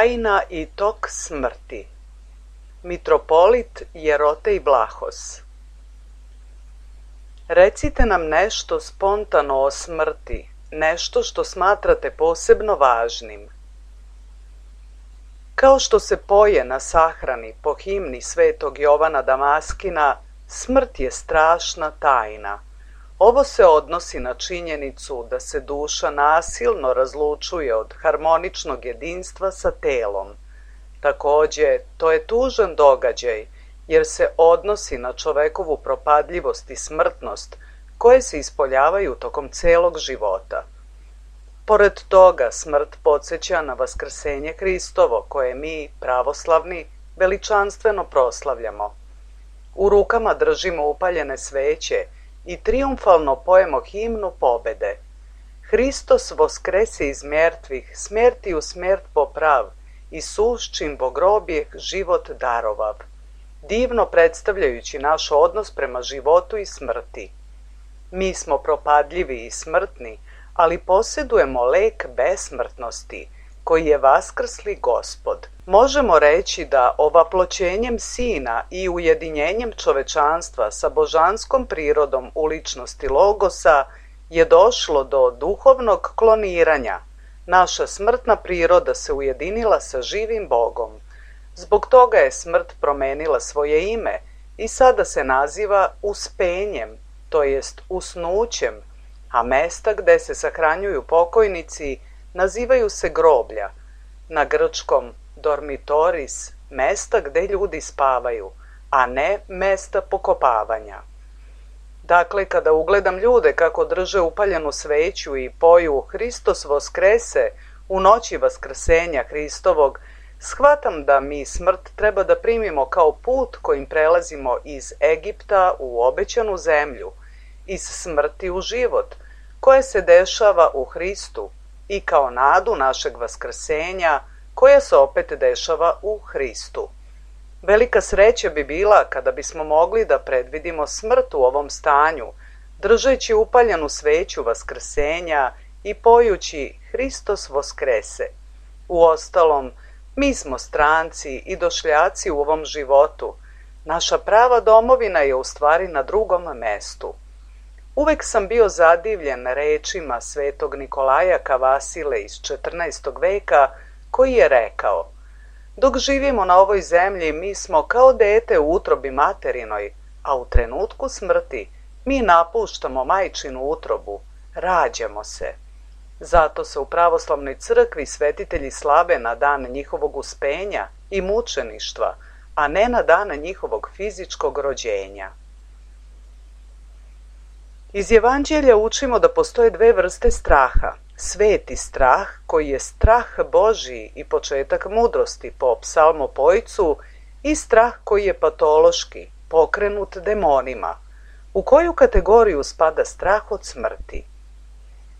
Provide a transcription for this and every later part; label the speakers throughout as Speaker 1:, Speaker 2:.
Speaker 1: Tajna i tok smrti. Mitropolit Jerotej Vlahos. Recite nam nešto spontano o smrti, nešto što smatrate posebno važnim. Kao što se poje na sahrani po himni Svetog Jovana Damaskina, smrt je strašna tajna. Ovo se odnosi na činjenicu da se duša nasilno razlučuje od harmoničnog jedinstva sa telom. Takođe, to je tužan događaj, jer se odnosi na čovekovu propadljivost i smrtnost, koje se ispoljavaju tokom celog života. Pored toga, smrt podsjeća na vaskrsenje Hristovo, koje mi, pravoslavni, veličanstveno proslavljamo. U rukama držimo upaljene sveće i trijumfalno pojemo himnu pobede. Hristos voskrese iz mrtvih, smrti u smrt poprav, i suščim bogrobjeh život darovav, divno predstavljajući naš odnos prema životu i smrti. Mi smo propadljivi i smrtni, ali posjedujemo lek besmrtnosti, koji je vaskrsli Gospod. Možemo reći da ovaploćenjem Sina i ujedinjenjem čovečanstva sa božanskom prirodom u ličnosti Logosa je došlo do duhovnog kloniranja. Naša smrtna priroda se ujedinila sa živim Bogom. Zbog toga je smrt promenila svoje ime i sada se naziva uspenjem, to jest usnućem, a mesta gde se sahranjuju pokojnici nazivaju se groblja, na grčkom dormitoris, mesta gde ljudi spavaju, a ne mesta pokopavanja. Dakle, kada ugledam ljude kako drže upaljenu sveću i poju Hristos voskrese u noći vaskrsenja Hristovog, shvatam da mi smrt treba da primimo kao put kojim prelazimo iz Egipta u obećanu zemlju, iz smrti u život, koje se dešava u Hristu, i kao nadu našeg vaskrsenja, koja se opet dešava u Hristu. Velika sreća bi bila kada bismo mogli da predvidimo smrt u ovom stanju, držeći upaljenu sveću vaskrsenja i pojući Hristos voskrese. Uostalom, mi smo stranci i došljaci u ovom životu. Naša prava domovina je u stvari na drugom mestu. Uvek sam bio zadivljen rečima svetog Nikolaja Kavasile iz 14. veka, koji je rekao: dok živimo na ovoj zemlji, mi smo kao dete u utrobi materinoj, a u trenutku smrti mi napuštamo majčinu utrobu, rađamo se. Zato se u pravoslavnoj crkvi svetitelji slave na dan njihovog uspenja i mučeništva, a ne na dan njihovog fizičkog rođenja. Iz Evanđelja učimo da postoje dve vrste straha. Sveti strah, koji je strah Božiji i početak mudrosti po psalmopojcu, i strah koji je patološki, pokrenut demonima. U koju kategoriju spada strah od smrti?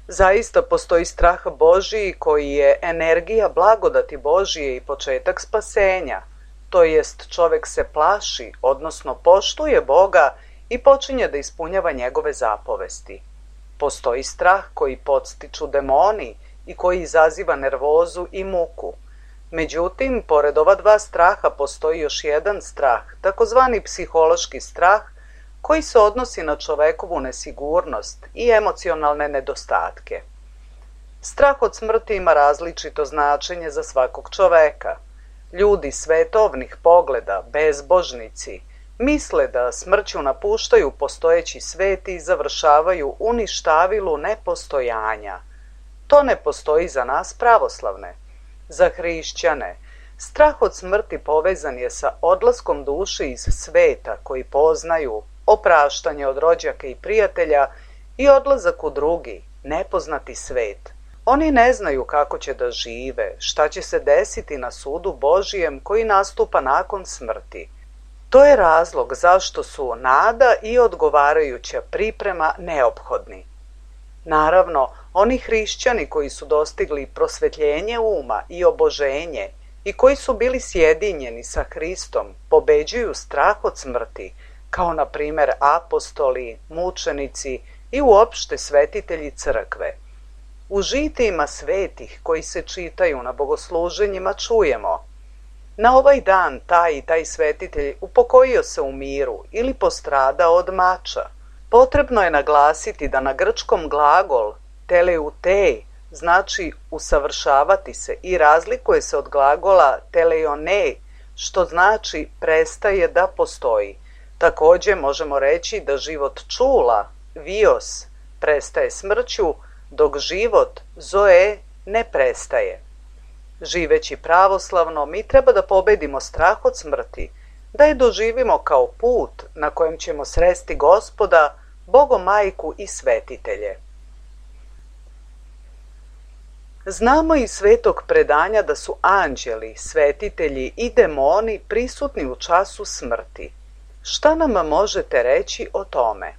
Speaker 1: Zaista postoji strah Božiji koji je energija blagodati Božije i početak spasenja, to jest čovek se plaši, odnosno poštuje Boga i počinje da ispunjava njegove zapovesti. Postoji strah koji podstiču demoni i koji izaziva nervozu i muku. Međutim, pored ova dva straha postoji još jedan strah, takozvani psihološki strah, koji se odnosi na čovekovu nesigurnost i emocionalne nedostatke. Strah od smrti ima različito značenje za svakog čoveka. Ljudi svetovnih pogleda, bezbožnici, misle da smrću napuštaju postojeći svet i završavaju u ništavilu nepostojanja. To ne postoji za nas pravoslavne. Za hrišćane, strah od smrti povezan je sa odlaskom duše iz sveta koji poznaju, opraštanje od rođaka i prijatelja i odlazak u drugi, nepoznati svet. Oni ne znaju kako će da žive, šta će se desiti na sudu Božijem koji nastupa nakon smrti. To je razlog zašto su nada i odgovarajuća priprema neophodni. Naravno, oni hrišćani koji su dostigli prosvetljenje uma i oboženje i koji su bili sjedinjeni sa Hristom, pobeđuju strah od smrti, kao na primer apostoli, mučenici i uopšte svetitelji crkve. U žitijima svetih koji se čitaju na bogosluženjima čujemo: na ovaj dan taj i taj svetitelj upokojio se u miru ili postradao od mača. Potrebno je naglasiti da na grčkom glagol teleutej znači usavršavati se i razlikuje se od glagola teleionej, što znači prestaje da postoji. Takođe možemo reći da život čula, vios, prestaje smrću, dok život, zoe, ne prestaje. Živeći pravoslavno, mi treba da pobedimo strah od smrti, da je doživimo kao put na kojem ćemo sresti Gospoda, Bogomajku i svetitelje. Znamo iz svetog predanja da su anđeli, svetitelji i demoni prisutni u času smrti. Šta nam možete reći o tome?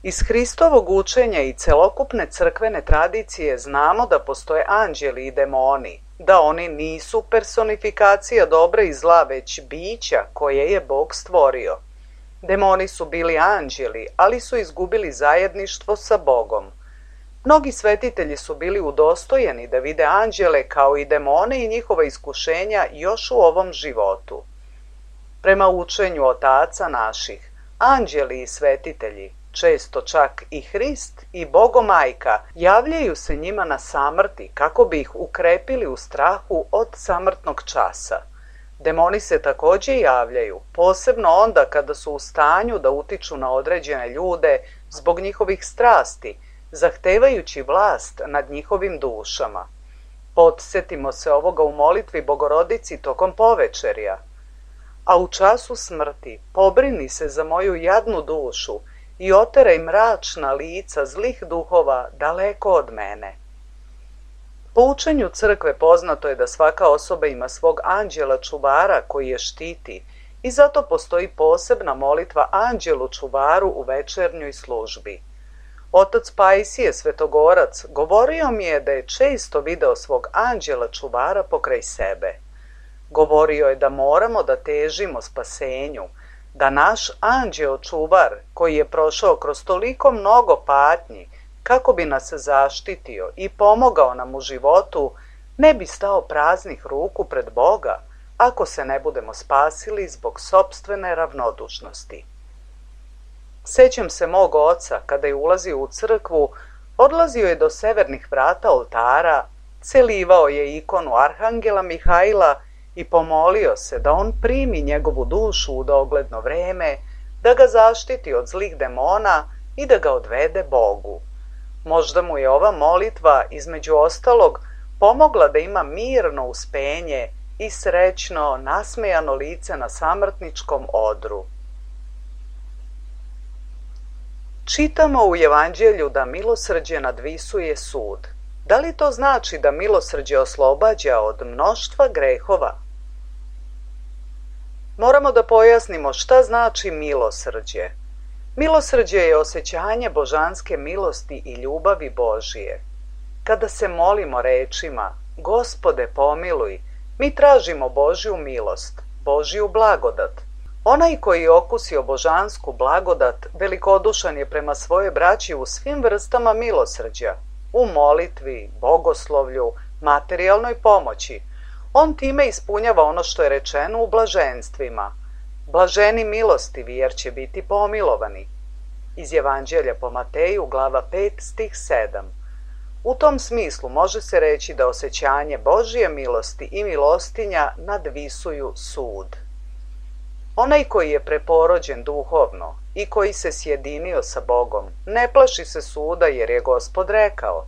Speaker 1: Iz Hristovog učenja i celokupne crkvene tradicije znamo da postoje anđeli i demoni, da oni nisu personifikacija dobra i zla, već bića koje je Bog stvorio. Demoni su bili anđeli, ali su izgubili zajedništvo sa Bogom. Mnogi svetitelji su bili udostojeni da vide anđele kao i demone i njihova iskušenja još u ovom životu. Prema učenju otaca naših, anđeli i svetitelji, često čak i Hrist i Bogomajka, javljaju se njima na samrti kako bi ih ukrepili u strahu od samrtnog časa. Demoni se također javljaju, posebno onda kada su u stanju da utiču na određene ljude zbog njihovih strasti, zahtevajući vlast nad njihovim dušama. Podsjetimo se ovoga u molitvi Bogorodici tokom povečerja. A u času smrti pobrini se za moju jadnu dušu i oteraj mračna lica zlih duhova daleko od mene. Po učenju crkve poznato je da svaka osoba ima svog anđela čuvara koji je štiti i zato postoji posebna molitva anđelu čuvaru u večernjoj službi. Otac Pajsije Svetogorac govorio mi je da je često video svog anđela čuvara pokraj sebe. Govorio je da moramo da težimo spasenju, da naš anđeo čuvar, koji je prošao kroz toliko mnogo patnji kako bi nas zaštitio i pomogao nam u životu, ne bi stao praznih ruku pred Boga ako se ne budemo spasili zbog sopstvene ravnodušnosti. Sećam se mog oca kada je ulazio u crkvu, odlazio je do severnih vrata oltara, celivao je ikonu Arhangela Mihajla i pomolio se da on primi njegovu dušu u dogledno vreme, da ga zaštiti od zlih demona i da ga odvede Bogu. Možda mu je ova molitva, između ostalog, pomogla da ima mirno uspenje i srećno, nasmejano lice na samrtničkom odru. Čitamo u Evanđelju da milosrđe nadvisuje sud. Da li to znači da milosrđe oslobađa od mnoštva grehova? Moramo da pojasnimo šta znači milosrđe. Milosrđe je osjećanje božanske milosti i ljubavi Božije. Kada se molimo rečima Gospode pomiluj, mi tražimo Božju milost, Božju blagodat. Onaj koji je okusio božansku blagodat velikodušan je prema svojoj braći u svim vrstama milosrđa, u molitvi, bogoslovlju, materijalnoj pomoći. On time ispunjava ono što je rečeno u blaženstvima. Blaženi milostivi jer će biti pomilovani. Iz Evanđelja po Mateju, glava 5, stih 7. U tom smislu može se reći da osjećanje Božje milosti i milostinja nadvisuju sud. Onaj koji je preporođen duhovno i koji se sjedinio sa Bogom, ne plaši se suda jer je Gospod rekao: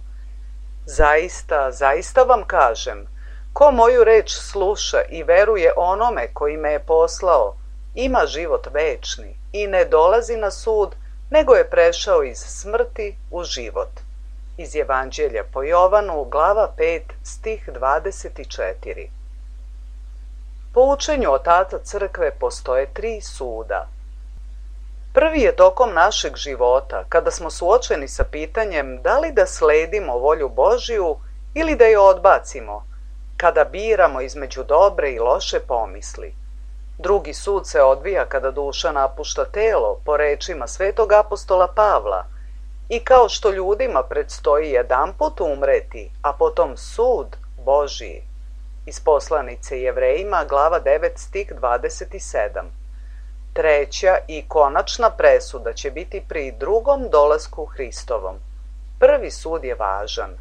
Speaker 1: Zaista, zaista vam kažem, ko moju reč sluša i veruje onome koji me je poslao, ima život večni i ne dolazi na sud, nego je prešao iz smrti u život. Iz Evanđelja po Jovanu, glava 5, stih 24. Po učenju otaca crkve postoje 3 suda. Prvi je tokom našeg života, kada smo suočeni sa pitanjem da li da sledimo volju Božiju ili da je odbacimo, kada biramo između dobre i loše pomisli. Drugi sud se odvija kada duša napušta telo, po rečima svetog apostola Pavla, i kao što ljudima predstoji jedanput umreti, a potom sud Božiji. Iz poslanice Jevrejima, glava 9, stih 27. Treća i konačna presuda će biti pri drugom dolasku Hristovom. Prvi sud je važan.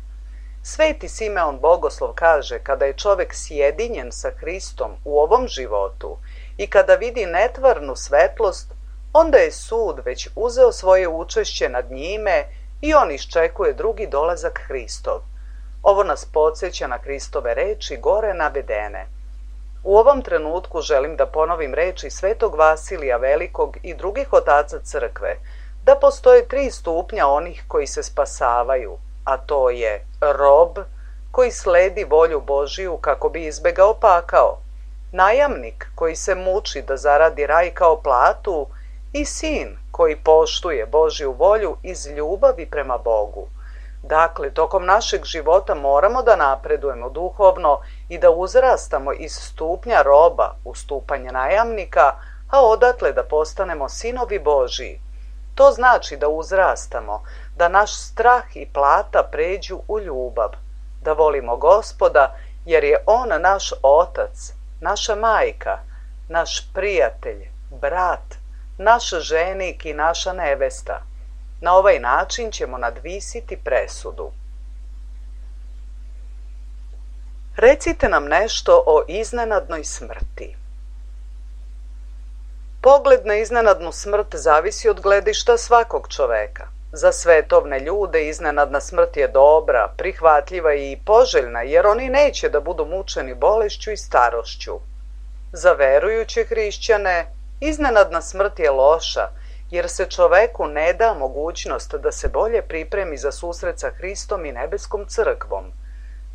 Speaker 1: Sveti Simeon Bogoslov kaže kada je čovek sjedinjen sa Hristom u ovom životu i kada vidi netvarnu svetlost, onda je sud već uzeo svoje učešće nad njime i on iščekuje drugi dolazak Hristov. Ovo nas podsjeća na Hristove reči gore navedene. U ovom trenutku želim da ponovim reči svetog Vasilija Velikog i drugih otaca crkve, da postoje 3 stupnja onih koji se spasavaju, a to je rob koji sledi volju Božiju kako bi izbegao pakao, najamnik koji se muči da zaradi raj kao platu i sin koji poštuje Božju volju iz ljubavi prema Bogu. Dakle, tokom našeg života moramo da napredujemo duhovno i da uzrastamo iz stupnja roba u stupanje najamnika, a odatle da postanemo sinovi Božiji. To znači da uzrastamo, da naš strah i plata pređu u ljubav, da volimo Gospoda jer je On naš otac, naša majka, naš prijatelj, brat, naš ženik i naša nevesta. Na ovaj način ćemo nadvisiti presudu. Recite nam nešto o iznenadnoj smrti. Pogled na iznenadnu smrt zavisi od gledišta svakog čoveka. Za svetovne ljude iznenadna smrt je dobra, prihvatljiva i poželjna, jer oni neće da budu mučeni bolešću i starošću. Za verujuće hrišćane iznenadna smrt je loša, jer se čoveku ne da mogućnost da se bolje pripremi za susret sa Hristom i nebeskom crkvom.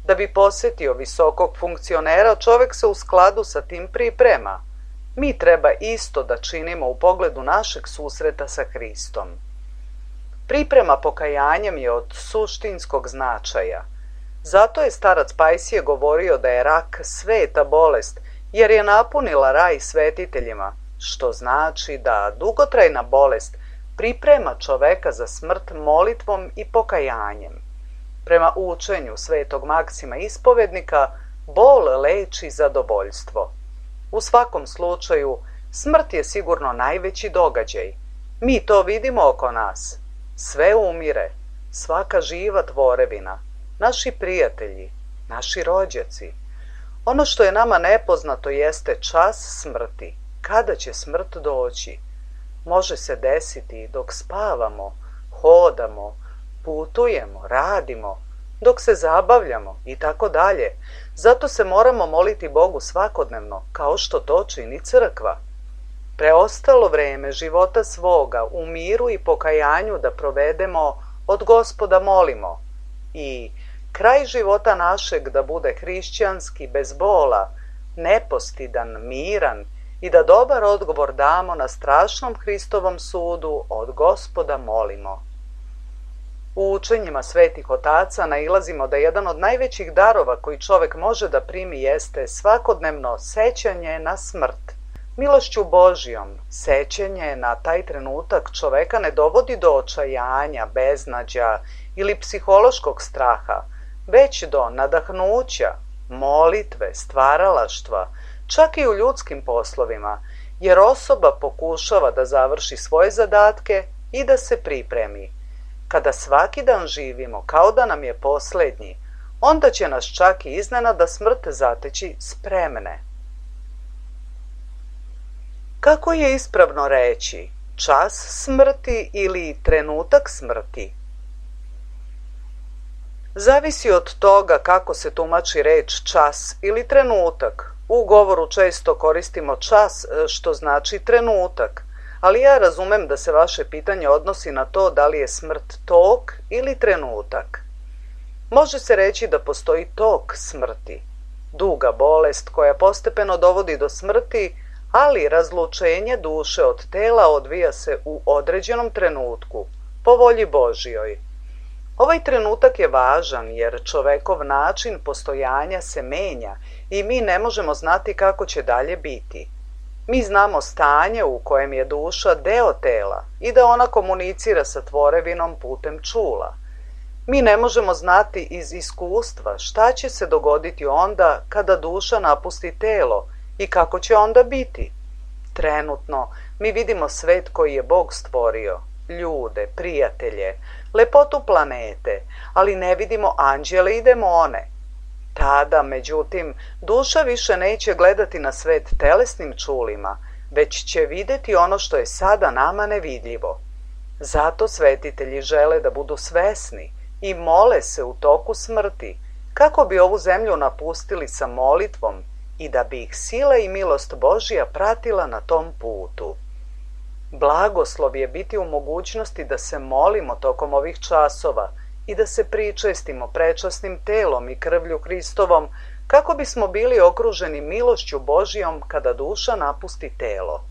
Speaker 1: Da bi posetio visokog funkcionera, čovek se u skladu sa tim priprema. Mi treba isto da činimo u pogledu našeg susreta sa Hristom. Priprema pokajanjem je od suštinskog značaja. Zato je starac Pajsije govorio da je rak sveta bolest, jer je napunila raj svetiteljima, što znači da dugotrajna bolest priprema čoveka za smrt molitvom i pokajanjem. Prema učenju svetog Maksima ispovednika, bol leči zadovoljstvo. U svakom slučaju, smrt je sigurno najveći događaj. Mi to vidimo oko nas. Sve umire, svaka živa tvorevina, naši prijatelji, naši rođaci. Ono što je nama nepoznato jeste čas smrti. Kada će smrt doći? Može se desiti dok spavamo, hodamo, putujemo, radimo, dok se zabavljamo i tako dalje. Zato se moramo moliti Bogu svakodnevno, kao što to čini crkva. Preostalo vreme života svoga u miru i pokajanju da provedemo od Gospoda molimo i kraj života našeg da bude hrišćanski, bez bola, nepostidan, miran i da dobar odgovor damo na strašnom Hristovom sudu od Gospoda molimo. U učenjima svetih otaca nailazimo da jedan od najvećih darova koji čovek može da primi jeste svakodnevno sećanje na smrt. Milošću Božijom, sećanje na taj trenutak čoveka ne dovodi do očajanja, beznađa ili psihološkog straha, već do nadahnuća, molitve, stvaralaštva, čak i u ljudskim poslovima, jer osoba pokušava da završi svoje zadatke i da se pripremi. Kada svaki dan živimo kao da nam je poslednji, onda će nas čak i iznenada smrt zateći spremne. Kako je ispravno reći čas smrti ili trenutak smrti? Zavisi od toga kako se tumači reč čas ili trenutak. U govoru često koristimo čas, što znači trenutak, ali ja razumem da se vaše pitanje odnosi na to da li je smrt tok ili trenutak. Može se reći da postoji tok smrti, duga bolest koja postepeno dovodi do smrti, ali razlučenje duše od tela odvija se u određenom trenutku, po volji Božijoj. Ovaj trenutak je važan jer čovekov način postojanja se menja i mi ne možemo znati kako će dalje biti. Mi znamo stanje u kojem je duša deo tela i da ona komunicira sa tvorevinom putem čula. Mi ne možemo znati iz iskustva šta će se dogoditi onda kada duša napusti telo i kako će onda biti. Trenutno mi vidimo svet koji je Bog stvorio, ljude, prijatelje, lepotu planete, ali ne vidimo anđele i demone. Tada, međutim, duša više neće gledati na svet telesnim čulima, već će videti ono što je sada nama nevidljivo. Zato svetitelji žele da budu svesni i mole se u toku smrti, kako bi ovu zemlju napustili sa molitvom i da bi ih sila i milost Božija pratila na tom putu. Blagoslov je biti u mogućnosti da se molimo tokom ovih časova i da se pričestimo prečasnim telom i krvlju Hristovom, kako bismo bili okruženi milošću Božijom kada duša napusti telo.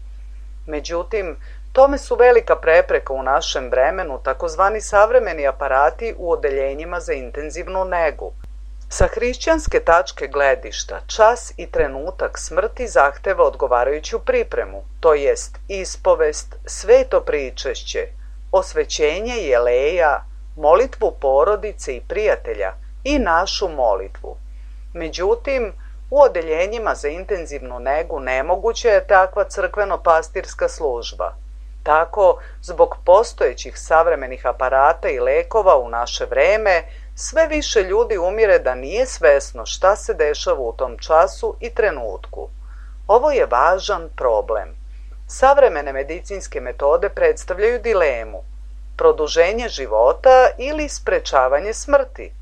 Speaker 1: Međutim, tome su velika prepreka u našem vremenu takozvani savremeni aparati u odeljenjima za intenzivnu negu. Sa hrišćanske tačke gledišta, čas i trenutak smrti zahteva odgovarajuću pripremu, to jest ispovest, sveto pričešće, osvećenje jeleja, molitvu porodice i prijatelja i našu molitvu. Međutim, u odeljenjima za intenzivnu negu nemoguća je takva crkveno-pastirska služba. Tako, zbog postojećih savremenih aparata i lekova u naše vreme, sve više ljudi umire da nije svesno šta se dešava u tom času i trenutku. Ovo je važan problem. Savremene medicinske metode predstavljaju dilemu: produženje života ili sprečavanje smrti.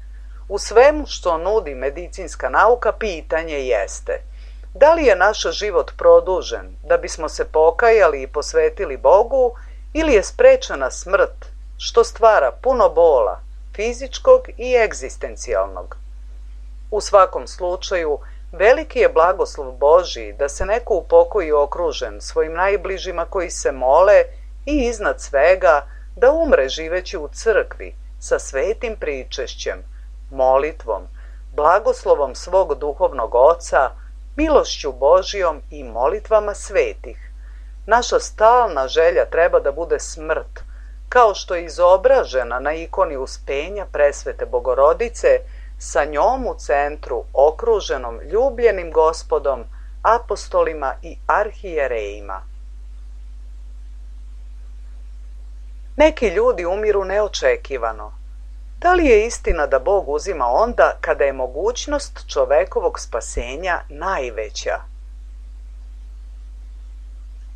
Speaker 1: U svemu što nudi medicinska nauka pitanje jeste: da li je naš život produžen da bismo se pokajali i posvetili Bogu, ili je sprečena smrt, što stvara puno bola, fizičkog i egzistencijalnog? U svakom slučaju, veliki je blagoslov Božji da se neko upokoji okružen svojim najbližima koji se mole i iznad svega da umre živeći u crkvi sa svetim pričešćem, molitvom, blagoslovom svog duhovnog oca, milošću Božjom i molitvama svetih. Naša stalna želja treba da bude smrt, kao što je izobražena na ikoni Uspenja presvete Bogorodice, sa njom u centru, okruženom ljubljenim Gospodom, apostolima i arhijerejima. Neki ljudi umiru neočekivano. Da li je istina da Bog uzima onda kada je mogućnost čovekovog spasenja najveća?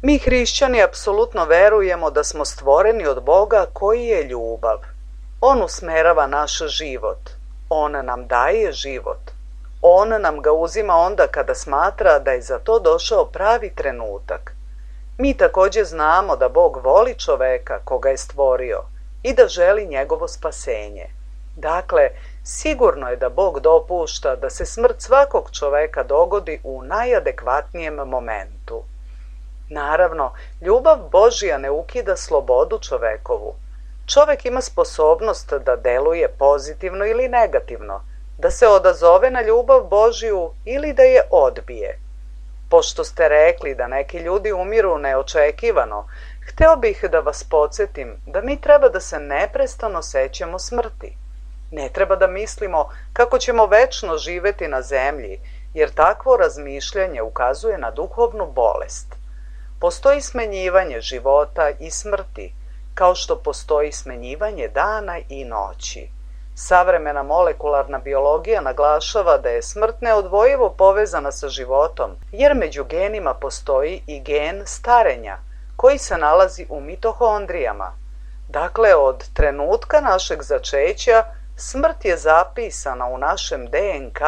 Speaker 1: Mi hrišćani apsolutno verujemo da smo stvoreni od Boga koji je ljubav. On usmerava naš život. On nam daje život. On nam ga uzima onda kada smatra da je za to došao pravi trenutak. Mi također znamo da Bog voli čoveka koga je stvorio i da želi njegovo spasenje. Dakle, sigurno je da Bog dopušta da se smrt svakog čoveka dogodi u najadekvatnijem momentu. Naravno, ljubav Božja ne ukida slobodu čovekovu. Čovek ima sposobnost da deluje pozitivno ili negativno, da se odazove na ljubav Božju ili da je odbije. Pošto ste rekli da neki ljudi umiru neočekivano, hteo bih da vas podsjetim da mi treba da se neprestano sećamo smrti. Ne treba da mislimo kako ćemo večno živeti na zemlji, jer takvo razmišljanje ukazuje na duhovnu bolest. Postoji smenjivanje života i smrti, kao što postoji smenjivanje dana i noći. Savremena molekularna biologija naglašava da je smrt neodvojivo povezana sa životom, jer među genima postoji i gen starenja, koji se nalazi u mitohondrijama. Dakle, od trenutka našeg začeća, smrt je zapisana u našem DNK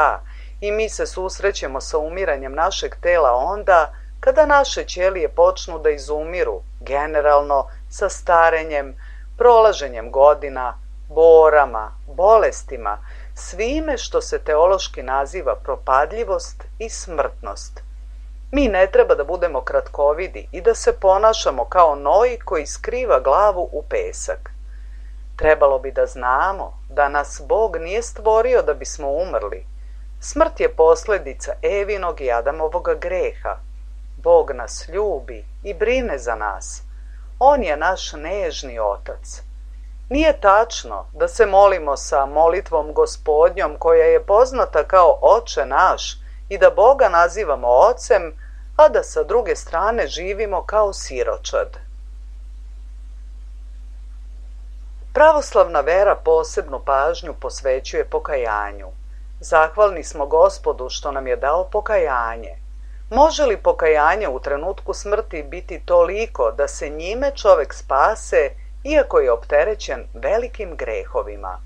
Speaker 1: i mi se susrećemo sa umiranjem našeg tela onda kada naše ćelije počnu da izumiru, generalno sa starenjem, prolaženjem godina, borama, bolestima, svime što se teološki naziva propadljivost i smrtnost. Mi ne treba da budemo kratkovidi i da se ponašamo kao noj koji skriva glavu u pesak. Trebalo bi da znamo da nas Bog nije stvorio da bismo umrli. Smrt je posljedica Evinog i Adamovog greha. Bog nas ljubi i brine za nas. On je naš nežni otac. Nije tačno da se molimo sa molitvom Gospodnjom koja je poznata kao Oče naš i da Boga nazivamo Ocem, a da sa druge strane živimo kao siročad. Pravoslavna vera posebnu pažnju posvećuje pokajanju. Zahvalni smo Gospodu što nam je dao pokajanje. Može li pokajanje u trenutku smrti biti toliko da se njime čovek spase, iako je opterećen velikim grehovima?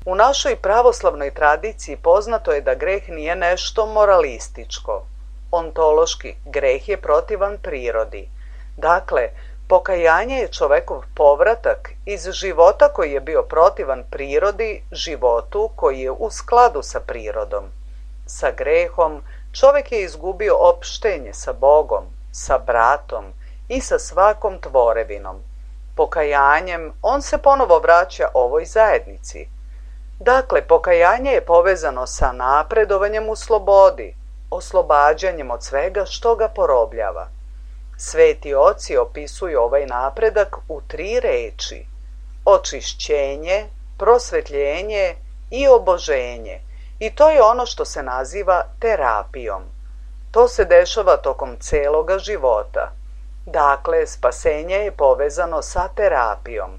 Speaker 1: U našoj pravoslavnoj tradiciji poznato je da greh nije nešto moralističko. Ontološki, greh je protivan prirodi. Dakle, pokajanje je čovekov povratak iz života koji je bio protivan prirodi, životu koji je u skladu sa prirodom. Sa grehom čovek je izgubio opštenje sa Bogom, sa bratom i sa svakom tvorevinom. Pokajanjem on se ponovo vraća ovoj zajednici. Dakle, pokajanje je povezano sa napredovanjem u slobodi, oslobađanjem od svega što ga porobljava. Sveti oci opisuju ovaj napredak u 3 reči: očišćenje, prosvetljenje i oboženje. I to je ono što se naziva terapijom. To se dešava tokom celoga života. Dakle, spasenje je povezano sa terapijom.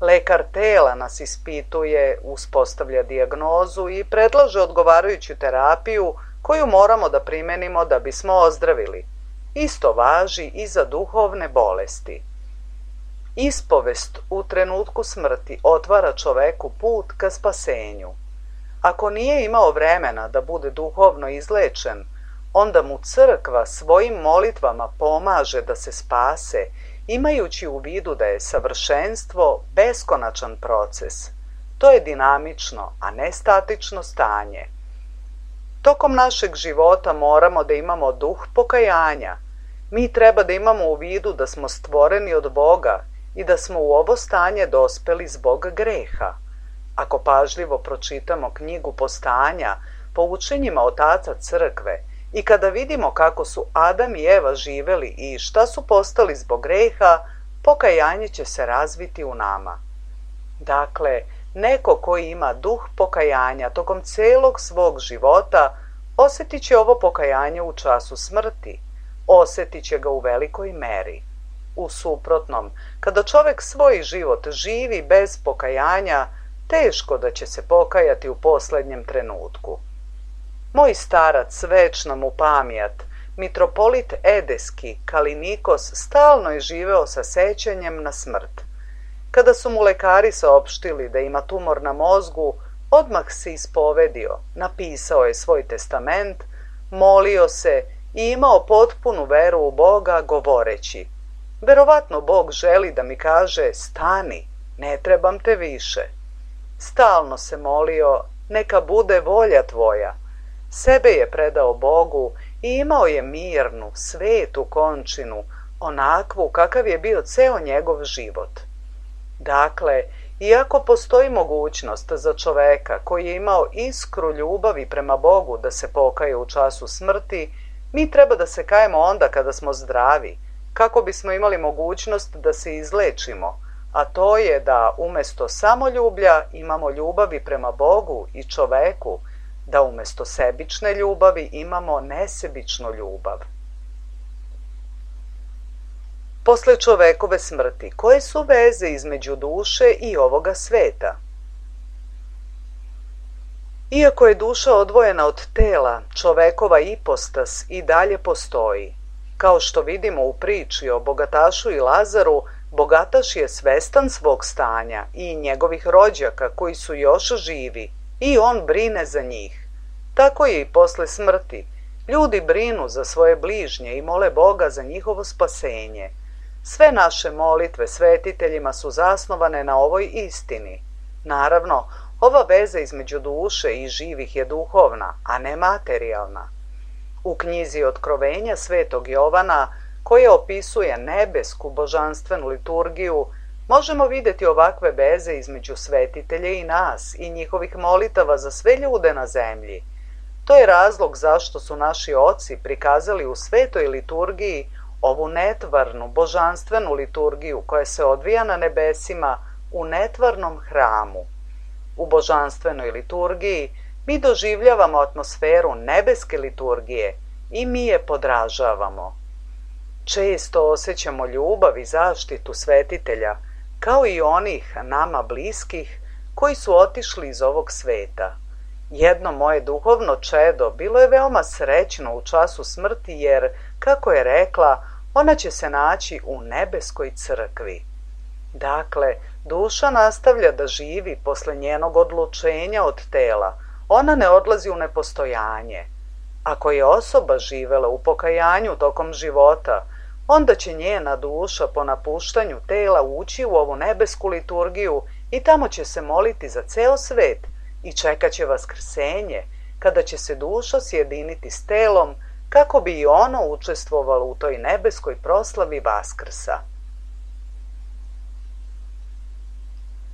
Speaker 1: Lekar tela nas ispituje, uspostavlja dijagnozu i predlaže odgovarajuću terapiju koju moramo da primenimo da bismo ozdravili. Isto važi i za duhovne bolesti. Ispovest u trenutku smrti otvara čoveku put ka spasenju. Ako nije imao vremena da bude duhovno izlečen, onda mu crkva svojim molitvama pomaže da se spase, imajući u vidu da je savršenstvo beskonačan proces. To je dinamično, a ne statično stanje. Tokom našeg života moramo da imamo duh pokajanja. Mi treba da imamo u vidu da smo stvoreni od Boga i da smo u ovo stanje dospeli zbog greha. Ako pažljivo pročitamo knjigu Postanja po učenjima otaca crkve i kada vidimo kako su Adam i Eva živeli i šta su postali zbog greha, pokajanje će se razviti u nama. Dakle, neko koji ima duh pokajanja tokom celog svog života osjetit će ovo pokajanje u času smrti, osjetit će ga u velikoj meri. U suprotnom, kada čovek svoj život živi bez pokajanja, teško da će se pokajati u poslednjem trenutku. Moj starac, večna mu pamjat, mitropolit Edeski, Kalinikos, stalno je živeo sa sećanjem na smrt. Kada su mu lekari saopštili da ima tumor na mozgu, odmah se ispovedio, napisao je svoj testament, molio se i imao potpunu veru u Boga, govoreći: verovatno Bog želi da mi kaže: stani, ne trebam te više. Stalno se molio: neka bude volja tvoja. Sebe je predao Bogu i imao je mirnu, svetu končinu, onakvu kakav je bio ceo njegov život. Dakle, iako postoji mogućnost za čoveka koji je imao iskru ljubavi prema Bogu da se pokaje u času smrti, mi treba da se kajemo onda kada smo zdravi, kako bismo imali mogućnost da se izlečimo, a to je da umesto samoljublja imamo ljubavi prema Bogu i čoveku, da umesto sebične ljubavi imamo nesebičnu ljubav. Posle čovekove smrti, koje su veze između duše i ovoga sveta? Iako je duša odvojena od tela, čovekova ipostas i dalje postoji. Kao što vidimo u priči o bogatašu i Lazaru, bogataš je svestan svog stanja i njegovih rođaka koji su još živi i on brine za njih. Tako je i posle smrti. Ljudi brinu za svoje bližnje i mole Boga za njihovo spasenje. Sve naše molitve svetiteljima su zasnovane na ovoj istini. Naravno, ova veza između duše i živih je duhovna, a ne materijalna. U knjizi Otkrovenja svetog Jovana, koja opisuje nebesku božanstvenu liturgiju, možemo vidjeti ovakve veze između svetitelja i nas i njihovih molitava za sve ljude na zemlji. To je razlog zašto su naši oci prikazali u svetoj liturgiji ovu netvarnu, božanstvenu liturgiju koja se odvija na nebesima u netvarnom hramu. U božanstvenoj liturgiji mi doživljavamo atmosferu nebeske liturgije i mi je podražavamo. Često osjećamo ljubav i zaštitu svetitelja, kao i onih nama bliskih koji su otišli iz ovog sveta. Jedno moje duhovno čedo bilo je veoma srećno u času smrti jer, kako je rekla, ona će se naći u nebeskoj crkvi. Dakle, duša nastavlja da živi posle njenog odlučenja od tela, ona ne odlazi u nepostojanje. Ako je osoba živela u pokajanju tokom života, onda će njena duša po napuštanju tela ući u ovu nebesku liturgiju i tamo će se moliti za ceo svet i čekat će vaskrsenje, kada će se duša sjediniti s telom kako bi i ono učestvovalo u toj nebeskoj proslavi Vaskrsa.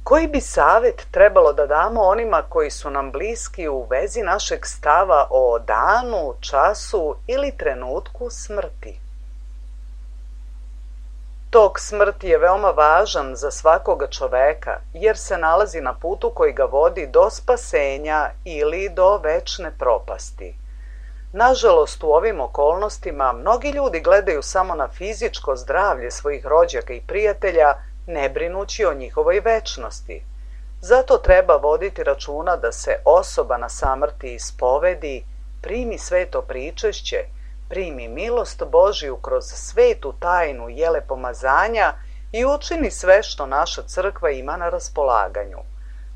Speaker 1: Koji bi savjet trebalo da damo onima koji su nam bliski u vezi našeg stava o danu, času ili trenutku smrti? Tok smrti je veoma važan za svakoga čoveka jer se nalazi na putu koji ga vodi do spasenja ili do večne propasti. Nažalost, u ovim okolnostima mnogi ljudi gledaju samo na fizičko zdravlje svojih rođaka i prijatelja, ne brinući o njihovoj večnosti. Zato treba voditi računa da se osoba na samrti ispovedi, primi sveto pričešće, primi milost Božiju kroz svetu tajnu jelepomazanja i učini sve što naša crkva ima na raspolaganju.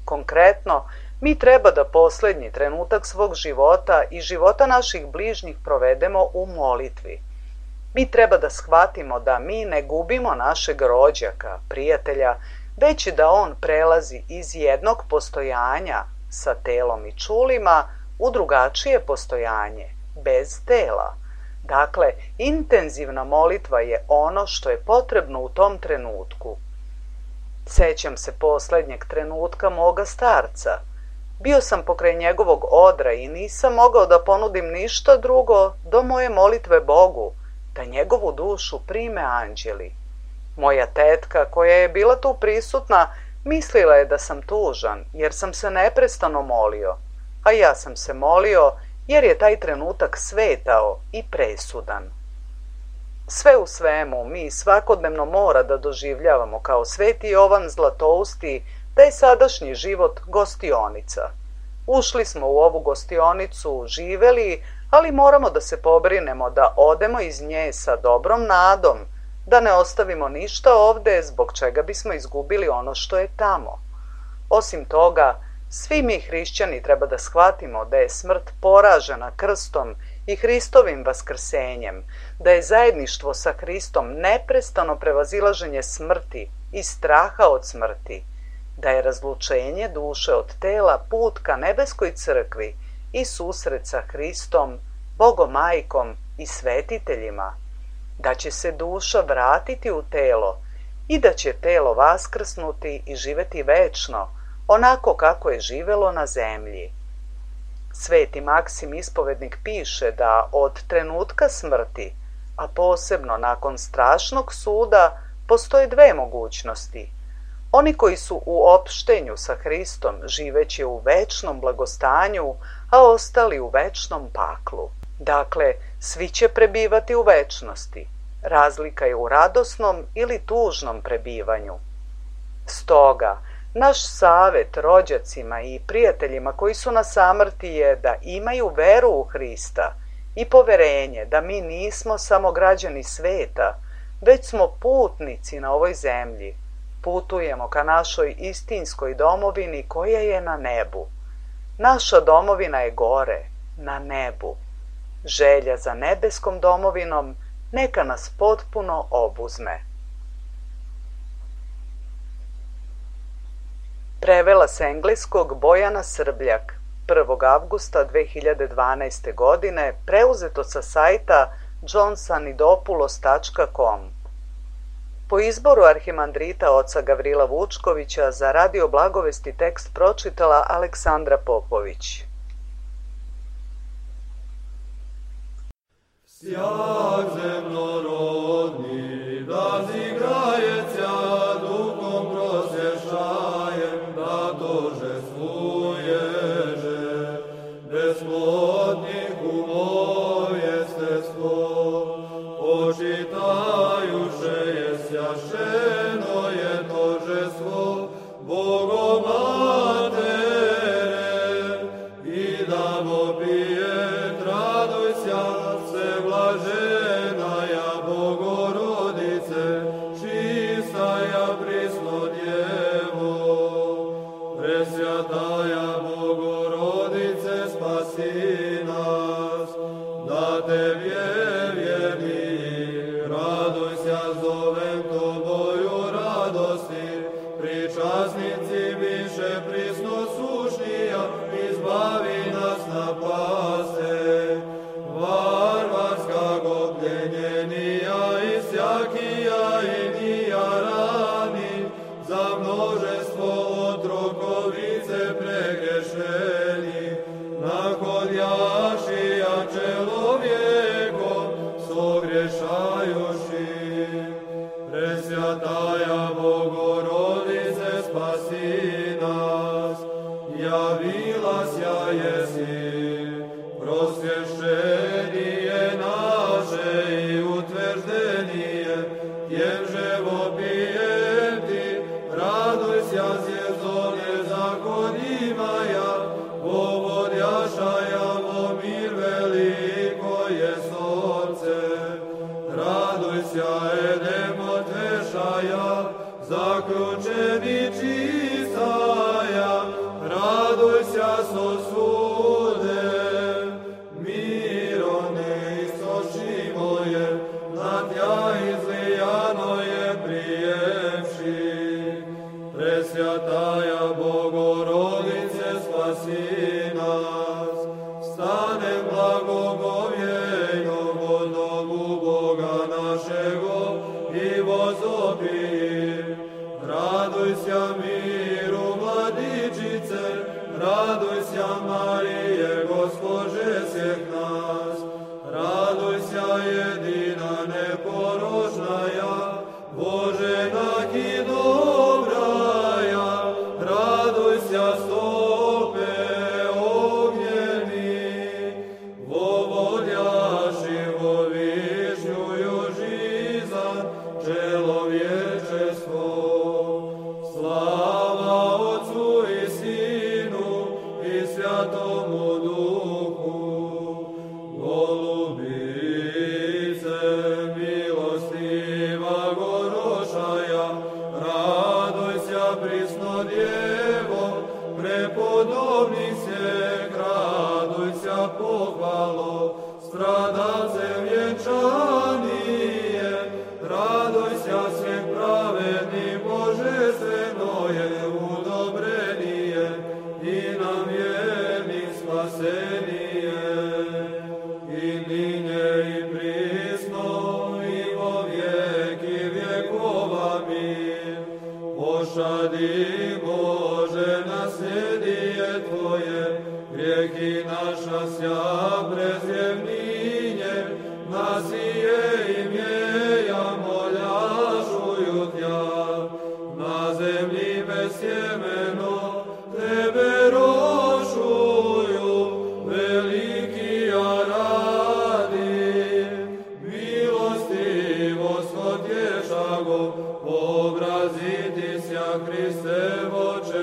Speaker 1: Konkretno, mi treba da poslednji trenutak svog života i života naših bližnjih provedemo u molitvi. Mi treba da shvatimo da mi ne gubimo našeg rođaka, prijatelja, već da on prelazi iz jednog postojanja sa telom i čulima u drugačije postojanje, bez tela. Dakle, intenzivna molitva je ono što je potrebno u tom trenutku. Sećam se poslednjeg trenutka moga starca. Bio sam pokraj njegovog odra i nisam mogao da ponudim ništa drugo do moje molitve Bogu, da njegovu dušu prime anđeli. Moja tetka, koja je bila tu prisutna, mislila je da sam tužan, jer sam se neprestano molio, a ja sam se molio jer je taj trenutak svetao i presudan. Sve u svemu, mi svakodnevno mora da doživljavamo kao Sveti Jovan Zlatousti da je sadašnji život gostionica. Ušli smo u ovu gostionicu, živeli, ali moramo da se pobrinemo da odemo iz nje sa dobrom nadom, da ne ostavimo ništa ovde zbog čega bismo izgubili ono što je tamo. Osim toga, svi mi hrišćani treba da shvatimo da je smrt poražena krstom i Hristovim vaskrsenjem, da je zajedništvo sa Hristom neprestano prevazilaženje smrti i straha od smrti, da je razlučenje duše od tela put ka nebeskoj crkvi i susret sa Hristom, Bogomajkom i svetiteljima, da će se duša vratiti u telo i da će telo vaskrsnuti i živeti večno, onako kako je živelo na zemlji. Sveti Maksim Ispovednik piše da od trenutka smrti, a posebno nakon strašnog suda, postoje dve mogućnosti. Oni koji su u opštenju sa Hristom živeće u večnom blagostanju, a ostali u večnom paklu. Dakle, svi će prebivati u večnosti. Razlika je u radosnom ili tužnom prebivanju. Stoga, naš savet rođacima i prijateljima koji su na samrti je da imaju veru u Hrista i poverenje da mi nismo samo građani sveta, već smo putnici na ovoj zemlji. Putujemo ka našoj istinskoj domovini koja je na nebu. Naša domovina je gore, na nebu. Želja za nebeskom domovinom neka nas potpuno obuzme. Prevela s engleskog Bojana Srbljak, 1. avgusta 2012. godine, preuzeto sa sajta johnsanidopulos.com. Po izboru arhimandrita oca Gavrila Vučkovića za Radio Blagovesti tekst pročitala Aleksandra Popović.
Speaker 2: Sjak zemnorodni, da zigraje ća duhom prosješajem, da tožestvuježe, besplodnih umov jestestvo, počitajuše je sjašeno je tožestvo Bogomatere, i da popije raduj sja se blažena ja. zaključeni čistaja, radujся sosude, miro neistoči moje, na tja izlijano je prijemši. Presvjataja Bogorodice, spasi nas, stanem blagogovjejno od domu Boga našego i vozopijim. Radujся miru, Mladičice, radujся Marije, Gospođe svih nas. Radujся jedina neporočnaja, Božena i dobraja, radujся stope ognjeni, vovodjaši vo višnjuju žizan, čelovječestvo. Slava Otcu i Sinu i Svjatomu Duhu, Golubice milostiva gorošaja, radujся prisno Djevo, prepodobnih svijek, radujся pohvalo, stradalce vjenčanije, radujся svijek pravedni, božestveno je udobrenije i nam vjernih spasenije. I ninje i prisno i vo vijeki vjekova mir, pošadi Bože nasljedije Tvoje, grijeki naša sja prezjevninje, nasije imjeja moljašuju Tja, na zemlji bez sjemeno Tebe rošuju, veliki ja radi, milostivost otješago, obraziti sja Hriste voče